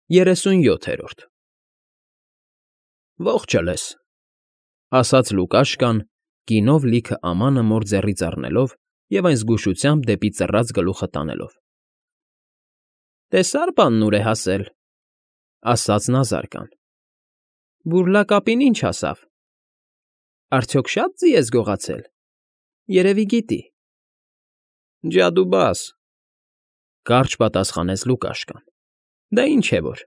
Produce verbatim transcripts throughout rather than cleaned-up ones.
Երեսունյոթերորդ Ողջ ես,֊ ասաց Լուկաշկան, գինով լիքը ամանը մոր ձեռից առնելով և այն զգուշությամբ դեպի ծռած գլուխը տանելով։ ֊ Տեսա՞ր բանն ուր է հասել,֊ ասաց նա զարկան։ ֊ Բուրլակապին ի՞նչ հասավ։ Արդյոք շա՞տ ձի ես գողացել, երևի գիտի։ ֊ Ջադուբաս,֊ կարճ պատասխանեց Լուկաշկան։ ֊ Դա ինչ է որ,֊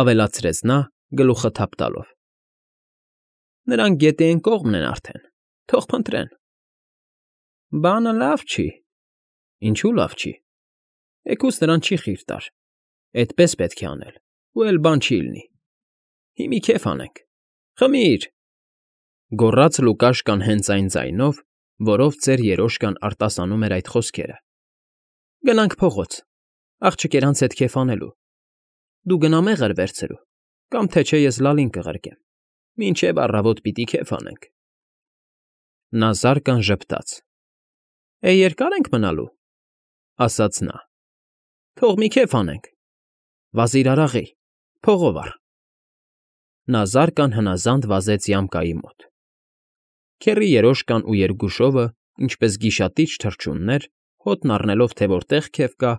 ավելացրեց նա, գլուխը թափ տալով։ ֊ Նրանք գետի էն կողմն են արդեն, թող փնտրեն։ ֊ Բանը լավ չի։ ֊ Ինչու՞ լավ չի։ ֊ Էգուց նրան չի խիր տար, էդպես պետք է անել, ու էլ բան չի լինի։ Հի մի քեֆ անենք։ Խմի՛ր,֊ գոռաց Լուկաշկան հենց այն ձայնով, որով ծեր երոշկան արտասանում էր այդ խոսքերը։ ֊ Գնանք փողոց, աղջիկերանց հետ քեֆ անելու։ Դու գնա մեղր վերցրու, կամ թե չէ ես լալին կղրկեմ, մինչև առավոտ պիտի քեֆ անենք։ Նա զարկան ժպտաց։ ֊ Է, երկա՞ր ենք մնալու,֊ ասաց նա։ ֊ Թող մի քեֆ անենք։ Վազիր արաղի, փողով առ։ Նա զարկան հնազանդ վազեց յամկայի մոտ։ Քեռի երոշկան ու Երգուշովը, ինչպես գիշատիչ թռչուններ, հոտն առնելով, թե որտեղ քեֆ կա,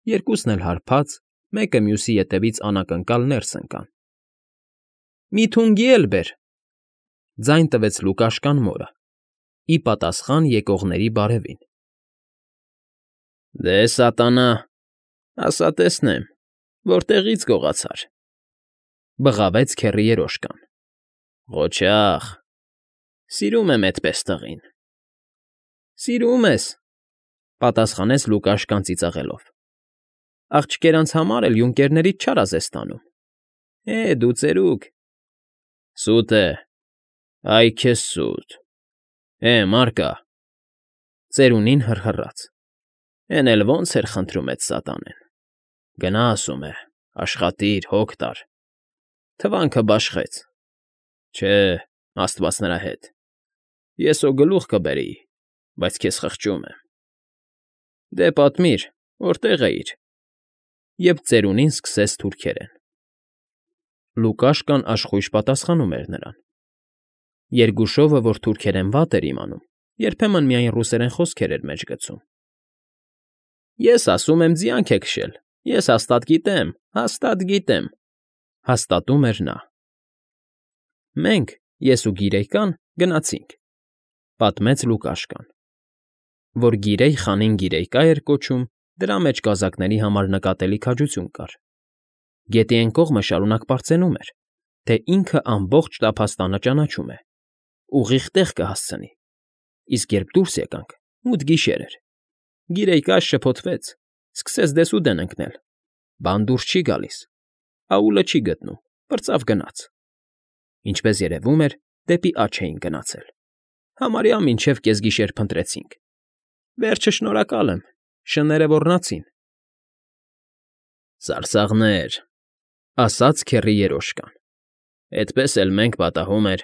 երկուսն էլ հարբած, մեկը մյուսի ետևից անակնկալ ներս ընկան։ ֊ Մի թունգի էլ բեր,֊ ձայն տվեց Լուկաշկան մորը, ի պատասխան եկողների բարևին։ ֊ Դե, սատանա, ասա տեսնեմ, որտեղի՞ց գողացար,֊ բղավեց քեռի երոշկան։ ֊ Ղոչաղ, սիրում եմ էդպես տղին։ ֊ Սիրում ես,֊ պատասխանեց Լուկաշկան ծիծաղելով։ ֊ Աղջիկերանց համար էլ յունկերներից չար ես ստանում։ Է, դու ծերուկ… ֊ Սուտ է, այ քեզ սուտ… Է, Մարկա… Ծերունին հռհռաց։ Էն էլ ո՜նց էր խնդրում էդ սատանեն… Գնա, ասում է, աշխատիր, հոգ տար… Թվանքը բաշխեց… Չէ, աստված նրա հետ… Ես հո գլուխ կբերեի, բայց քեզ խղճում եմ… Դե, պատմիր, որտեղ էիր… Եվ ծերունին սկսեց թուրքերեն։ Լուկաշկան աշխույժ պատասխանում էր նրան։ Երգուշովը, որ թուրքերեն վատ էր իմանում, երբեմն միայն ռուսերեն խոսքեր էր մեջ գցում։ ֊ Ես ասում եմ, ձյանք է քշել, ես հաստատ գիտեմ, հաստատ գիտեմ,֊ հաստատում էր նա։ ֊ Մենք, ես ու Գիրեյկան, գնացինք,֊ պատմեց Լուկաշկան։ Որ Գիրեյ խանին Գիրեյկա էր կոչում, դրա մեջ կազակների համար նկատելի քաջություն կար։ Գետի էն կողմը շարունակ պարծենում էր, թե ինքը ամբողջ տափաստանը ճանաչում է, ուղիղ տեղ կհասցնի, իսկ երբ դուրս եկանք, մութ գիշեր էր։ Գիրեյկան շփոթվեց, սկսեց դեսուդեն ընկնել, բան դուրս չի գալիս, աուլը չի գտնում, պրծավ գնաց։ Ինչպես երևում էր, դեպի աջ էին գնացել։ Համարյա մինչև կեսգիշեր փնտրեցինք։ Վերջը շնորհակալ եմ, շները ոռնացին։ ֊ Սարսափներ,֊ ասաց քեռի երոշկան։ Էդպես էլ մենք պատահում էր,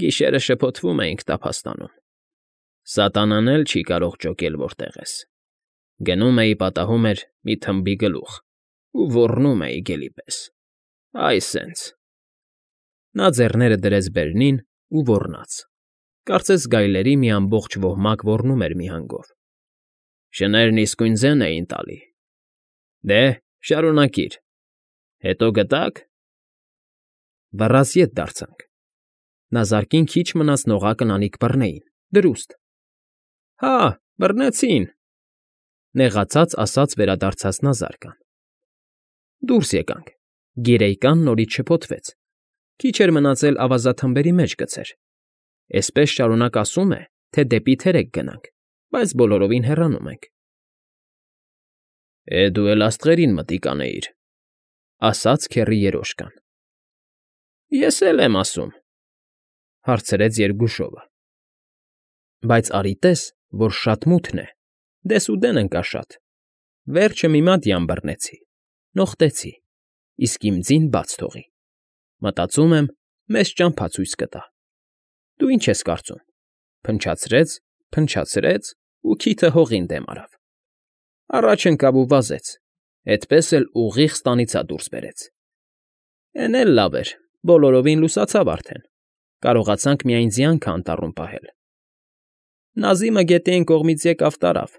գիշերը շփոթվում էինք տափաստանում։ Սատանան էլ չի կարող ջոկել որտեղ ես։ Գնում էի, պատահում էր, մի թմբի գլուխ ու ոռնում էի գելի պես… Այ սենց… Նա ձեռները դրեց բերնին ու ոռնաց, կարծես գայլերի մի ամբողջ ոհմակ ոռնում էր մի հանգով։ Շներն իսկույն ձեն էին տալի։ Դե, շարունակիր… Հետո գտա՞ք… Վռազի ետ դարձանք։ Նա զարկին քիչ մնաց նողակն անիք բռնեին, դրուստ։ ֊ Հա, բռնեցին,֊ նեղացած ասաց վերադարձած նա զարկան։ Դուրս եկանք։ Գիրեյկան նորից շփոթվեց, քիչ էր մնացել ավազաթմբերի մեջ գցեր։ Էսպես շարունակ ասում է, թե դեպի թերեկ գնանք, բայց բոլորովին հեռանում ենք։ ֊ Է, դու էլ աստղերին մտիկ անեիր,֊ ասաց քեռի երոշկան։ ֊ Ես էլ եմ ասում,֊ հարցրեց Երգուշովը։ ֊ Բայց արի տես, որ շատ մութն է, դեսուդեն ընկա շատ, վերջը մի մատյան բռնեցի, նողտեցի, իսկ իմ ձին բաց թողի։ Մտածում եմ, մեզ ճամփա ցույց կտա։ Դու ի՞նչ ես կարծում, փնչացրեց, փնչացրեց ու քիթը հողին դեմ արավ։ Առաջ ընկավ ու վազեց, Էդպես էլ ուղիղ ստանիցա դուրս բերեց։ Էն էլ լավ էր, բոլորովին լուսացավ արդեն, կարողացանք միայն ձյանքը անտառում պահել։ Նազիմը գետի այն կողմից եկավ տարավ։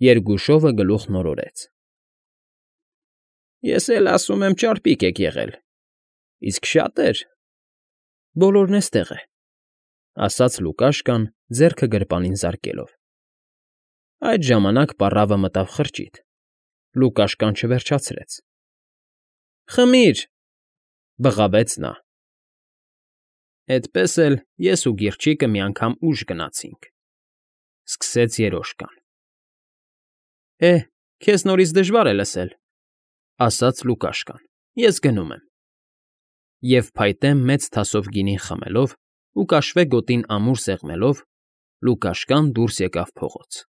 Երկուշովը գլուխն օրորեց։ Ես էլ ասում եմ ճարպիկ եք եղել, իսկ շատեր… Բոլորն էստեղ է, ասաց Լուկաշկան, ձեռքը գրպանին զարկելով։ Այդ ժամանակ պառավը մտավ խրճիթ։ Լուկաշկան չվերջացրեց։ Խմիր,֊ բղավեց նա։ Էդպես էլ ես ու Գիրջիկը մի անգամ ուժ գնացինք,֊ սկսեց երոշկան։ Է, քեզ նորից դժվար է լսել,֊ ասաց Լուկաշկան,֊ ես գնում եմ։ Եվ փայտե մեծ թասով գինին խմելով ու կաշվե գոտին ամուր սեղմելով՝ Լուկաշկան դուրս եկավ փողոց։